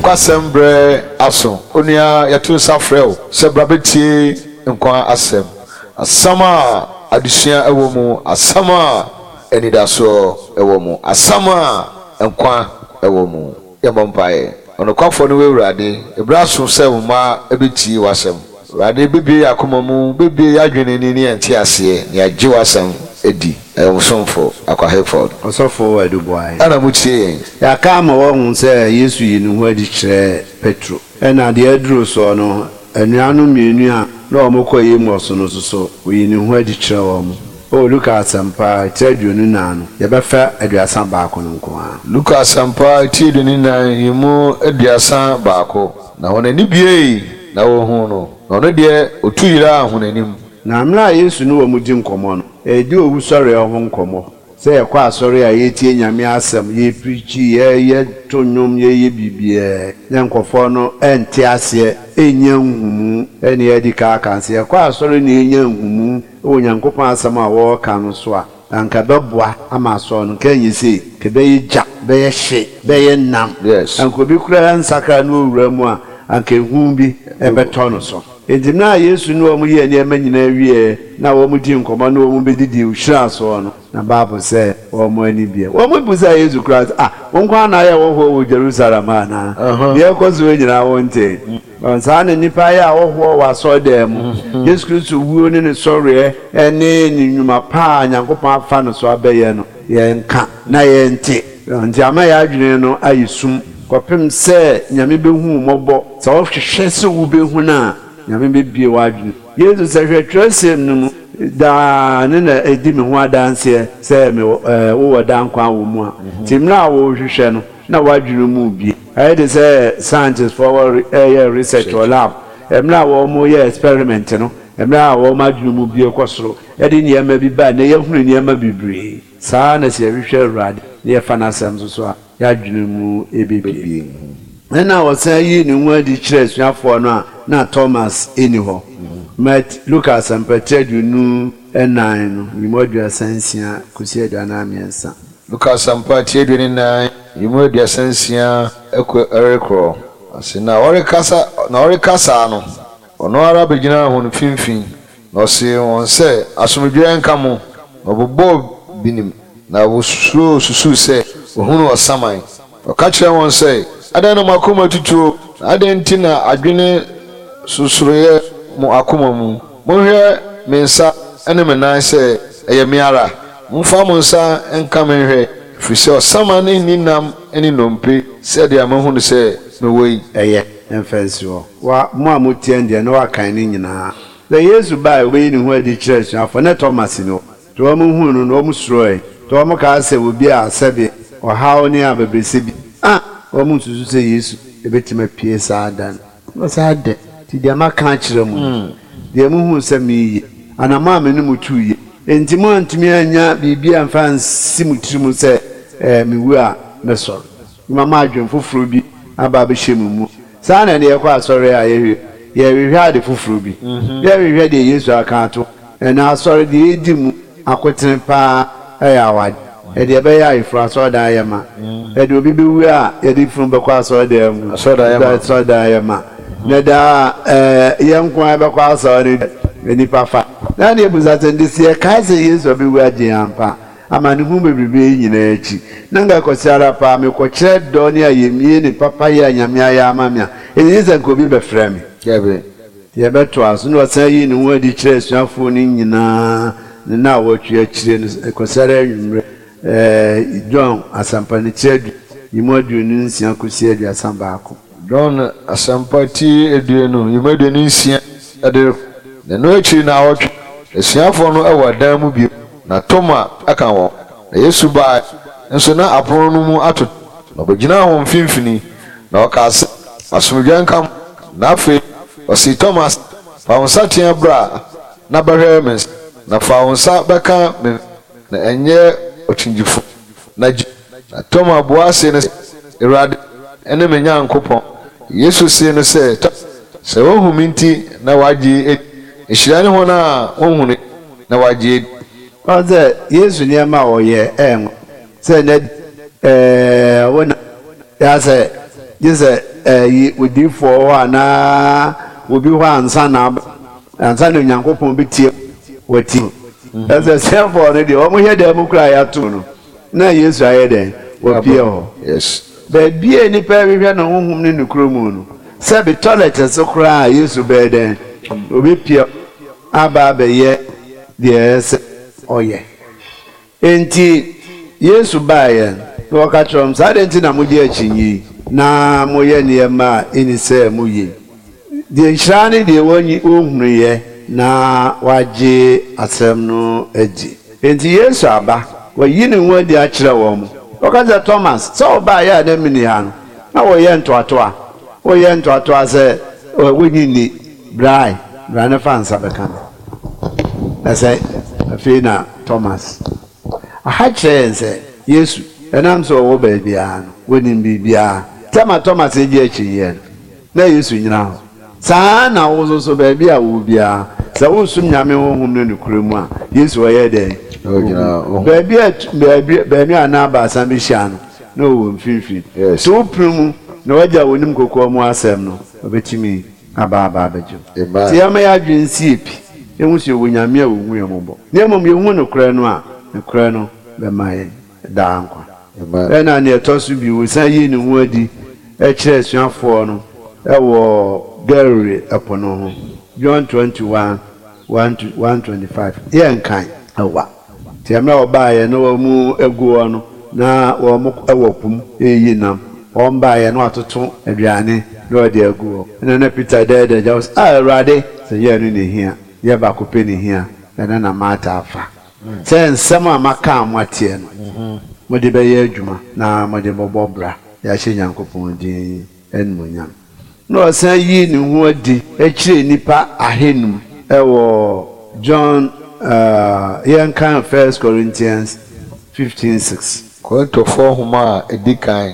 Nkwasɛm berɛ aso. Onua, yɛto nsa frɛ wo sɛ bra bɛtie nkwa asɛm. Asɛm a adesua wɔ mu, asɛm a anidasoɔ wɔ mu, asɛm a nkwa wɔ mu. Yɛmmɔ mpaeɛ. Ɔnokwafoɔ ne wo Awurade, berɛ aso sɛ wo mma bɛtie w'asɛm. Awurade, bɛbue yɛn akoma mu, bɛbue yɛn adwene ani ne yɛn nteaseɛ, na yɛagye w'asɛm adi. Ɛyɛ wo somfo, Akwa Hayford. Ɔsɔfo Adu Boahe. Ɛna motie yɛn. Yɛaka ama wɔahu sɛ Yesu yii ne ho adi kyerɛɛ Petro. Ɛnna deɛ aduru soɔ no, anuanom mmienu a na wɔkɔ Emaus no nso so, ɔyii ne ho adi kyerɛɛ wɔn. O Luka Asɛmpa, tiri 24 no, yɛbɛfa 31 no nko ara. Luka Asɛmpa, ti 24, yi mu 31. Na wɔn ani buei, na wɔhuu no, na ɔno deɛ, ɔtu yeraa wɔn anim. Na mmerɛ a Yesu ne wɔn di nkɔmmɔ no, ɛredi owusɔreɛ ho nkɔmmɔ. Sɛ yɛkɔ asɔre a yɛtie Nyame asɛm, yɛpreachi, yɛ to nnwom, yɛyɛ biribiaa, na nkurɔfoɔ no nte aseɛ, nnya nhumu. Ɛne yɛadi kan aka no, sɛ yɛkɔ asɔre na yɛnya nhumu wɔ Nyankopɔn asɛm a wɔreka no so a, anka ɛbɛboa ama asɔre no, nka ɛnyɛ sei, nka ɛbɛyɛ gya, bɛyɛ hye, bɛyɛ nam. Anka obi koraa nsakra na ɔwura mu a, anka ehu bi bɛtɔ no so. Enti mmerɛ a Yesu ne wɔn yɛɛ nneɛma nyinaa wieɛ na wɔn dii nkɔmmɔ ne wɔn bɛdidii hyiraa soɔ no, na Bible sɛ wɔn ani bue. Wɔn bisaa Yesu koraa sɛ, Ah, wo nko ara na ayɛ hɔhoɔ wɔ Jerusalem ha anaa? Deɛ ɛrekɔ soɔ nyinaa wontee? Saa na nnipa yɛ ahɔhoɔ wɔ asɔredan mu. Yesu Kristo wuo ne ne sɔreɛ ne ne nnwuma pa a Nyankopɔn afa no so abɛyɛ no, yɛnka na yɛnte. Nti ama yɛn adwene no ayɛ sum kɔpem sɛ Nyame bɛhu wo mmɔbɔ. Sɛ wohwehwɛ sɛ wobɛhu no a, Nyame bɛbue w'adwene. Yesu sɛ, Hwɛ twerɛsɛm no mu daa ne na ɛdi me ho adanseɛ sɛ me wowɔ daa nkwa wɔ mu a. Nti mmerɛ a worehwehwɛ no, na w'adwene mu rebue. Ayɛ te sɛ scientistfoɔ wɔ reyɛ research wɔ lab, mmerɛ a wɔreyɛ experiment no, mmerɛ a wɔn adwene mu bue kɔ soro de nneɛma bi ba a, nnɛ yɛahunu nneɛma bebree. Saa ara na sɛ yɛhwehwɛ Awurade na yɛfa n'asɛm nso so a, yɛn adwene mu bebue. Ɛnna ɔsan yii ne ho adi kyerɛɛ asuafoɔ no a na Thomas nni hɔ. Mat. Luka Asɛmpa ti 24 no, nyimu 36 kɔsi 43. Luka Asɛmpa ti 24, nyimu 36 kɔ rekorɔ. Ɔse, na ɔrekasa, na ɔreka saa no, ɔno ara bɛgyinaa hɔn mfimfini, Na ɔsee hɔn sɛ, Asomdwee nka mo! Na ɔbobɔɔ binom, na wosuroo susuu sɛ wɔahunu ɔsaman. Na ɔka kyerɛɛ hɔn sɛ, Adɛn na mo akoma atutuo, na adɛn nti na adwene sosoroeɛ mo akoma mu? Monhwɛ me nsa ne me nan sɛ ɛyɛ me ara. Momfa mo nsa nka me nhwɛ, ɛfiri sɛ ɔsaman nni nam ne nnompe sɛdeɛ moahunu sɛ mewɔ yi. Ɛyɛ, mfa nsi hɔ. Wa, mo a motie no deɛ, na wakan ne nyinaa. Sɛ Yesu bae a obeyi ne ho adi kyerɛɛ asuafo no, na Thomas nni hɔ. Nti wɔn huu no no, wɔn suroe. Nti wɔn kaa sɛ obi a sɛbe ɔhaw ne abɛbrɛsɛ bi a wɔn nsusu sɛ Yesu betumi apue saa da no. Na ɔse, Adɛn nti deɛ maka akyerɛ mo yi, deɛ mohuu sɛ mereyɛ, anammɔn a me ne mo tuu yi nti moantumi annya biribi amfa ansi mo tirim sɛ mewu a mɛsɔre? Mama adwene foforɔ bi aba abɛhyɛ mo mu. Saa na ɛnnɛ yɛkɔ asɔre a yɛhwɛ, yɛhwehwɛ ade foforɔ bi. Yɛhwehwɛ deɛ Yesu aka ato hɔ. Ɛnnɛ asɔre deɛ ɛdi mu akotene pa ara yɛ awadeɛ. Ɛdeɛ ɛbɛyɛ ayeforɔ asɔredan ayɛ ma. Ɛdeɛ obi bɛwu a yɛde funu bɛkɔ asɔredan mu. Asɔredan ayɛ ma. Na daa yɛn nko ara bɛkɔ asɔre no deɛ nnipa fa. Na ɛnna yɛbisa sɛ, nti sɛ yɛkae sɛ Yesu abɛwu agye yɛn ampa a, Amanehunu bebrebe yi nyinaa akyi, na anka kɔsi ara paa mekɔkyerɛ dɔ ne ayamye ne papayɛ a Nyame ayɛ ama me a, ɛnni sɛ anka obi bɛfrɛ me. Dabi. Yɛbɛtoa so. Na ɔsan yii ne ho adi kyerɛɛ asuafoɔ no nyinaa ne nnawɔtwe akyire no, kɔsi ara anwummerɛ. Ɛɛ, John Asɛmpa no tiri adu, yi mu 26 kɔsi 31. John Asɛmpa ti 20, yi mu 26 de rekɔ. Na ɛno akyiri nnawɔtwe, asuafoɔ no wɔ ɛdan mu bio. Na Toma ka wɔn ho. Na Yesu bae nso na apono no mu atoto, na ɔbɛgyinaa wɔn mfimfini, na ɔkaa sɛ, Asomdwoeɛ nka mo. Na afei ɔsee Toma sɛ, Fa wo nsateaa bra na bɛhwɛ me nsa, na fa wo nsa bɛka me mfe, na ɛnyɛ ɔkyingyefoɔ, na gye di. Na Toma bua see no sɛ, Awurade ne me Nyankopɔn. Yesu see no sɛ, Toma, sɛ woahu me nti na woagye adi. Nhyira ne wɔn a wɔnhunui na wɔagye adi. Ɔn sɛ Yesu nneɛma a ɔyɛ ɛyɛ nwanwa sɛ nnɛ ɛɛ wo na yɛ sɛ gye sɛ ɛyi odiifoɔ hɔ anaa obi hɔ ansa na ansa na Onyankopɔn bɛtie wɔti. Ɛsɛ asuafoɔ no deɛ wɔn hwɛ dan mu koraa yɛato no na Yesu ayɛ dɛn? Wapue hɔ. Yes. Baabi a nnipa rehwehwɛ no honhom ne nokorɛ mu no, sɛbe toilet so koraa a Yesu bɛyɛ dɛn? Ɔbɛpue aba abɛyɛ deɛ ɛsɛ sɛ ɔyɛ. Enti Yesu baeɛ na ɔka kyerɛɛ wɔn sɛ, Adɛn nti na mogye akyinnye yi, na moyɛ nneɛma a ɛnni sɛ moyɛ yi? Deɛ nhyira ne deɛ wɔnhunuiɛ na wɔagye asɛm no adi. Enti Yesu aba, wayi ne ho adi akyerɛ wɔn. Ɔka kyerɛɛ Thomas, Sɛ wobaeɛ a na menni ha no, na woyɛ ntoatoa. Woyɛ ntoatoa sɛ wonnye nni. Bra ɛ, bra na fa nsa bɛka me. Na sɛ afei na Thomas. Aha kyerɛ yɛn sɛ Yesu, ɛnam sɛ ɔwɔ baabiara no, onim biribiara. Tɛm a Thomas regye akyinnyeɛ no, na Yesu nnyina hɔ. Saa ara na wo nso so, baabi a wowɔ biara, sɛ woresom Nyame honhom ne nokorɛ mu a, Yesu ɔyɛ dɛn? Ohu. Baabi a baabi baanu anaa baasa bɛhyia no, na ɔwɔ mfimfini. Sɛ wopene mu na w'Agya a onim kokoa mu asɛm no, ɔbɛtumi aba aba abɛgye wo. Nti yɛmma yɛn adwene nsi yɛ pi, yɛnhu sɛ yɛwɔ Nyame a ɔhu yɛn mmɔbɔ. Na mmom yɛhu nokorɛ no a, nokorɛ no bɛma yɛn daa nkwa. Ɛna nea ɛtɔ so bio, ɔsan yii ne ho adi kyerɛɛ asuafoɔ no wɔ Galilee ɛpo no ho, John 21, 1 to 1:25. Yɛnkan ɛwa. Nti mmerɛ a wɔbaeɛ na wɔn gu hɔ no, na wɔn wɔ po mu reyi nam. Wɔn baeɛ na wɔatoto aduane na wɔde agu hɔ. Ɛna na Peter dɛɛdɛɛ gya hɔ sɛ, Ah, Awurade! Sɛ nyɛ ɛno na ɛhia, yɛ baako pɛ na ɛhia, ɛno na Martha afa. Sɛ nsɛm a maka a moateɛ no, mode bɛyɛ adwuma na mode bɔbɔ bra de ahyɛ Nyankopɔn din animuonyam. Na ɔsan yii ne ho adi kyerɛɛ nnipa ahanum wɔ John yɛnkan First Corinthians 15:6. Korintofoɔ Nwoma a Ɛdi Kan,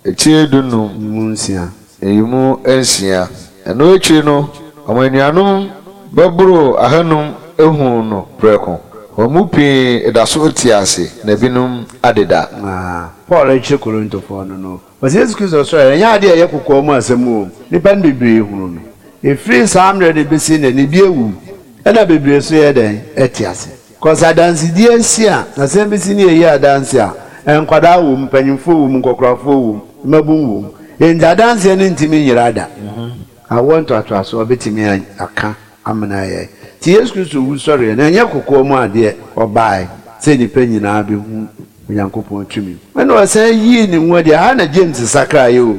etire 15. Mu nsia. Nyiyimu nsia. Ɛno akyiri no, wɔn anuanom bɛboro ahanum huu no prɛko. Wɔn mu pii da so te ase, na ebinom adeda. Na Paul rekyerɛ Korintofoɔ no no, ɔse Yesu Kristo sɔreɛ no, ɛnyɛ adeɛ a ɛyɛ kokoa mu asɛm o, nnipa no bebree hunu no. Ɛfiri saa mmerɛ no bɛsi nnɛ no, ebi awu, ɛna bebree nso yɛ dɛn? Ɛte ase. Cos adansedie asi a, asɛm bi si ne yɛyi adanse a, nkwadaa wom, mpanyimfoɔ wom, nkɔkorafoɔ wom, mmabun wom. Enti adanseɛ no ntumi nyera da. Awoɔ ntoatoasoɔ bɛtumi aka amena ayɛ. Nti Yesu Kristo wusɔreɛ no, ɛnyɛ kokoa mu adeɛ, ɔbaae sɛ nnipa nyinaa bɛhu Onyankopɔn tumi. Ɛna ɔsan yii ne ho adi. Ɛha na James sakraeɛ o.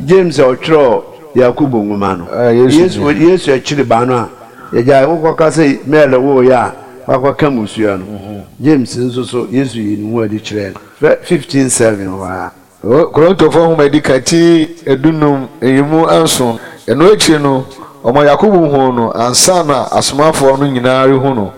James a ɔtwerɛɛ Yakobo nwoma no. Yesu Yesu akyiri ba no a yɛgyae wokɔka sɛ Mary woeɛ a wakɔka mmusua no. James nso so Yesu yii ne ho adi kyerɛɛ no. Fɛ 15:7 hɔ ara. Korintofoɔ Nwoma a ɛdi kan ti 15 nyiyimu 7, Ɛno akyiri no, wɔmaa Yakobo huu no ansa na asomafoɔ no nyinaa rehu no.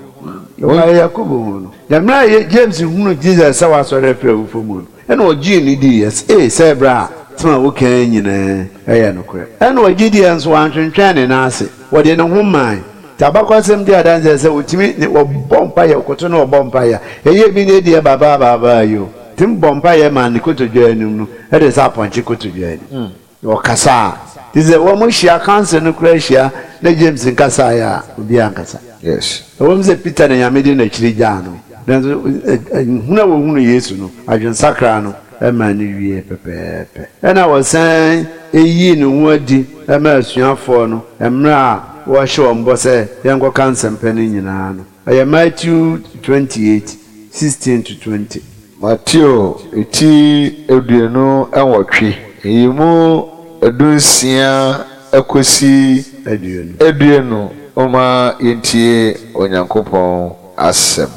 Wɔmaa Yakobo huu no. Na mmerɛ a James hunuu Jesus sɛ wasɔre afiri awufoɔ mu no, ɛna ɔgyee no diiɛ sɛ, Ei, sɛ berɛ a asɛm a woka yi nyinaa yɛ nokorɛ. Ɛna ɔgye diiɛ nso, wantwentwɛn ne nan ase, ɔde ne ho maae. Nti abakɔsɛm di adanseɛ sɛ ɔtumi ne ɔbɔ mpaeɛ, ɔkoto na ɔbɔ mpaeɛ a, ɛyɛ bi ne deɛ babaa yi o, ɔtumi bɔ mpaeɛ ma ne kotodwe anim no de sɛ apɔnkye kotodwe anim. Na ɔkasa a, te sɛ wɔn hyia, council no koraa hyia na James nkasaeɛ a, obiara ankasa. Yes. Ɛwom sɛ Peter na Nyame de n'akyiri gyaa no, nanso hunu a wɔhunuu Yesu no, adwensakra no maa no wiee pɛpɛɛpɛ. Ɛnna wɔsan yii ne ho adi maa asuafoɔ no mmerɛ a wɔrehyɛ wɔn bɔ sɛ yɛnkɔka nsɛmpa no nyinaa no. Ɛyɛ Matthew 28, 16-20. Mateo ti 28, nyiyimu 16 kosi 20 Momma yentie Onyankopɔn asɛm.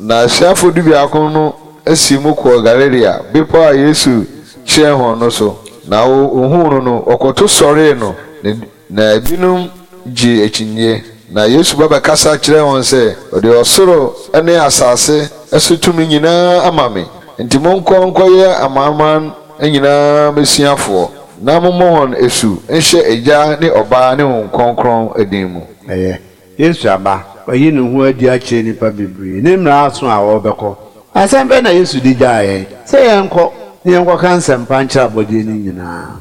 Na asuafo dubiako no sii mu kɔɔ Galilea, bepɔw a Yesu kyerɛɛ hɔn no so. Na wohuu no no, wɔkɔto sɔree no, na binom gyee akyinnye. Na Yesu ba bɛkasa kyerɛɛ hɔn sɛ, Wɔde ɔsoro ne asase so tumi nyina ama me, ntsi monkɔ nkɔyɛ amanaman nyina m'esuafoɔ, na mommɔ hɔn esu nhyɛ Egya ne Ɔba ne Honhom Krɔnkrɔn din mu. Ɛyɛ Yesu aba, wayi ne ho adi akyerɛ nnipa bebree, ne mmara aso a ɔrebɛkɔ. Asɛm bɛn na Yesu de gyaa yɛn? Sɛ yɛnkɔ na yɛnkɔka nsɛmpa nkyerɛ abɔdeɛ no nyinaa.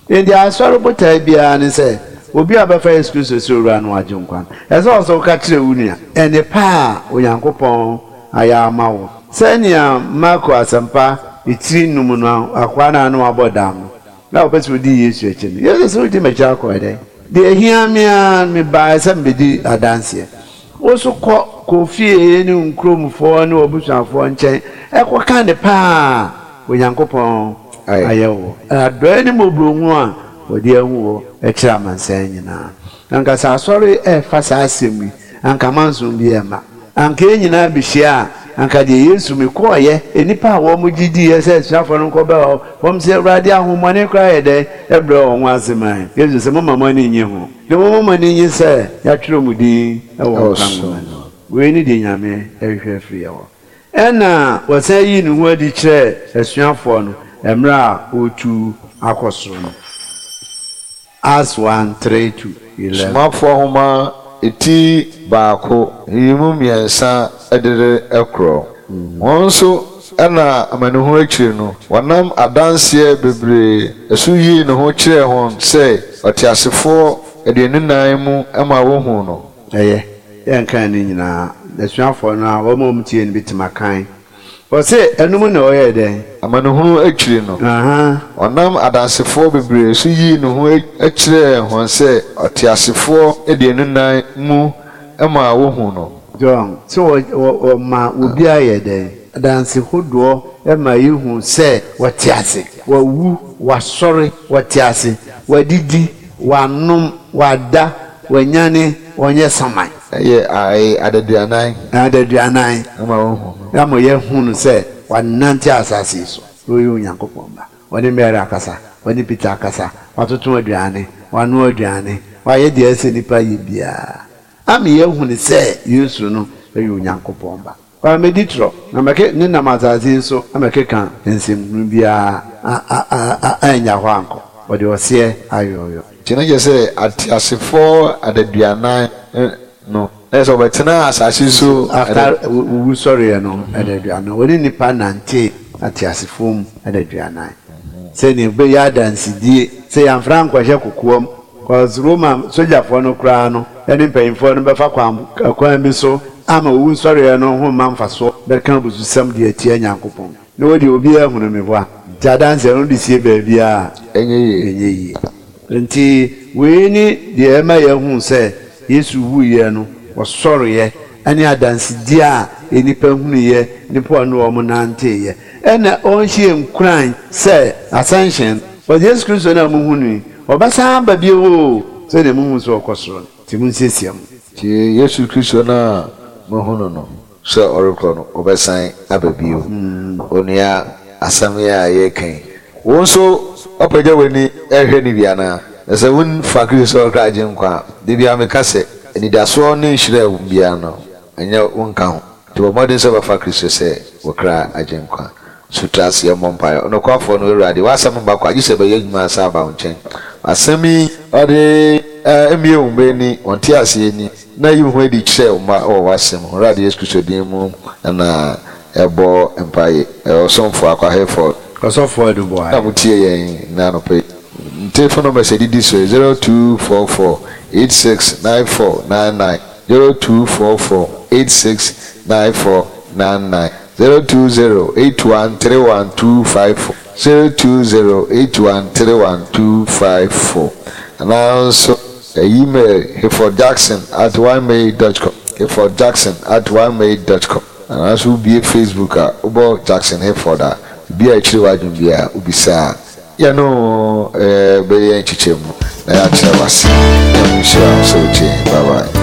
Enti asɔre botae biara ne sɛ obi a ɔbɛfa Yesu Kristo sɛ Owura no Agyenkwa no, ɛsɛ sɛ ɔsɛ woka kyerɛ wo nua nnepa a Onyankopɔn ayɛ ama wo. Sɛnea Marko Asɛmpa tiri num no akoa no a na wabɔ dam no, na ɔpɛ sɛ odi Yesu akyi no, Yesu se, Wodi m'akyi akɔ dɛn? Deɛ ehia me ara, mebaeɛ sɛ mebɛdi adanseɛ. Wo nso kɔ kɔ fie ne wo nkuromfoɔ ne w'abusuafoɔ nkyɛn kɔka nnepa a Onyankopɔn ayɛ wo, adɔeɛ ne mmɔborɔhunu a ɔde ahu wo kyerɛ amansan nyinaa. Anka sɛ asɔre refa saa asɛm yi, anka mansom bi remma. Anka yɛn nyinaa bɛhyia a, anka deɛ Yesu mekɔeɛ, nnipa a wɔn gye diiɛ sɛ asuafoɔ no nkɔbɛ hɔ, wɔn sɛ, Awurade, ahonhommɔne koraa yɛ dɛn brɛ wɔn ho ase ma yɛn? Yesu se, Momma mo ani nnye ho, na mmom momma mo ani nnye sɛ yɛatwerɛ mo din wɔ nkwa nwoma no mu. Wei ne deɛ Nyame hwehwɛ afiri yɛn hɔ. Ɛnna ɔsan yii ne ho adi kyerɛɛ asuafoɔ no mmerɛ a ɔretu akɔ soro no. Acts 1, 3 to 11. Somafoɔ Nwoma ti baako nyiyimu mmiɛnsa de rekorɔ. Wɔn nso na amanehunu akyiri no, wɔnam adanseɛ bebree so yii ne ho kyerɛɛ wɔn sɛ ɔteasefoɔ 24 mu ma wɔhuu no. Ɛyɛ, yɛnkan ne nyinaa. Asuafoɔ no a wɔn a wɔtiee no bɛtumi akan. Ɔse, ɛno mu na ɔyɛɛ dɛn? Amanehunu akyiri no, ɔnam adansefoɔ bebree so yii ne ho kyerɛɛ wɔn sɛ ɔteasefoɔ 24 mu maa wɔhuu no. John, sɛ ɔma obiara yɛ dɛn? Adanse hodoɔ ma yɛhu sɛ ɔte ase. Wawu, wasɔre, ɔte ase, wadidi, wanom, wada, wanyane, ɔnyɛ saman. Ɛyɛ ae adaduanan. Adaduanan. Ama wɔahu no. Ama yɛahu no sɛ wanante asase yi so, na ɔyɛ Onyankopɔn Ba. Ɔne Mary akasa, ɔne Peter akasa, watoto aduane, wanoa aduane, wayɛ deɛ ɛsɛ nipa yɛ biara. Ama yɛahu no sɛ Yesu no yɛ Onyankopɔn Ba. Wammɛdi torɔ, na mɛke ne nam asase yi so ammɛkeka nsɛmhunu biara a annya hɔ ankɔ. Ɔde ɔseɛ ayɔyɔ. Nti na kyerɛ sɛ ateasefoɔ adaduanan no, na kyerɛ sɛ wɔbɛtenaa asase so. After owusɔreɛ no adaduanan, wɔne nnipa nantee ateasefoɔ mu adaduanan, sɛdeɛ ɛbɛyɛ adansedie sɛ yɛamfra ankɔhyɛ kokoam. Cause Roma sogyafoɔ no koraa no ne mpanyimfoɔ no bɛfa kwan kwan bi so ama owusɔreɛ no ho mma mfasoɔ, bɛka abususɛm de atia Nyankopɔn. Na wo deɛ obiara hunu me boa. Nti adanseɛ no wode sie baabiara a, ɛnyɛ yie. Ɛnyɛ yie. Nti wei ne deɛ ɛma yɛhu sɛ Yesu wuiɛ no ɔsɔreɛ ne adansedie a nnipa hunuiɛ, nnipa a ɔne wɔn nanteeɛ. Ɛna ɔnhyɛ nkuran sɛ ascension, but Yesu Kristo no a mohu no yi, ɔbɛsan aba bio oo, sɛdeɛ mohu sɛ ɔkɔ soro no, nti monsiesie mo. Nti Yesu Kristo no a mohu no no, sɛ ɔrekɔ no, ɔbɛsan aba bio. Onua, asɛm yi a yɛreka yi, wo nso woapagya w'ani rehwɛ no bi anaa? Na sɛ womfa Kristo sɛ ɔkra Agyenkwa a, da biara meka sɛ, anidasoɔ ne nhyira a ɛwɔ mu biara no, ɛnyɛ wo nka ho. Nti bɔ mmɔden sɛ wobɛfa Kristo sɛ wo kra Agyenkwa. So tra ase mmɔ mpaeɛ. Ɔnokwafoɔ no, Awurade, w'asɛm mma kwa, gye sɛ ɛbɛyɛ adwuma ansa aba wo nkyɛn. Asɛm yi, Awurade, mmue wo mma ani, wɔn nteaseɛ ani, na yi wo ho adi kyerɛ wo mma wɔ w'asɛm ho. Awurade Yesu Kristo din mu na yɛbɔ mpaeɛ. Ɔsomfoɔ Akwa Hayford. Ɔsɔfoɔ Adu Boahe. Na motie yɛn nnɛ anɔpa yi. Nte phone numbers a ɛdidi so yi, 0244 86 94 99, 0244 86 94 99, 020 81 31 254, 020 81 31 254, anaa nso email hayfordjackson at ymail dot com, hayfordjackson at ymail dot com, anaa nso wobue Facebook a wobɔ Jackson Hayford a, biribi a ɛkyere w'adwene biara wobisa a, yɛne wo bɛyɛ nkyekyɛmu na yɛakyerɛ wo ase. Nyame nhyira wo sɛ wotie yɛn. Bye bye.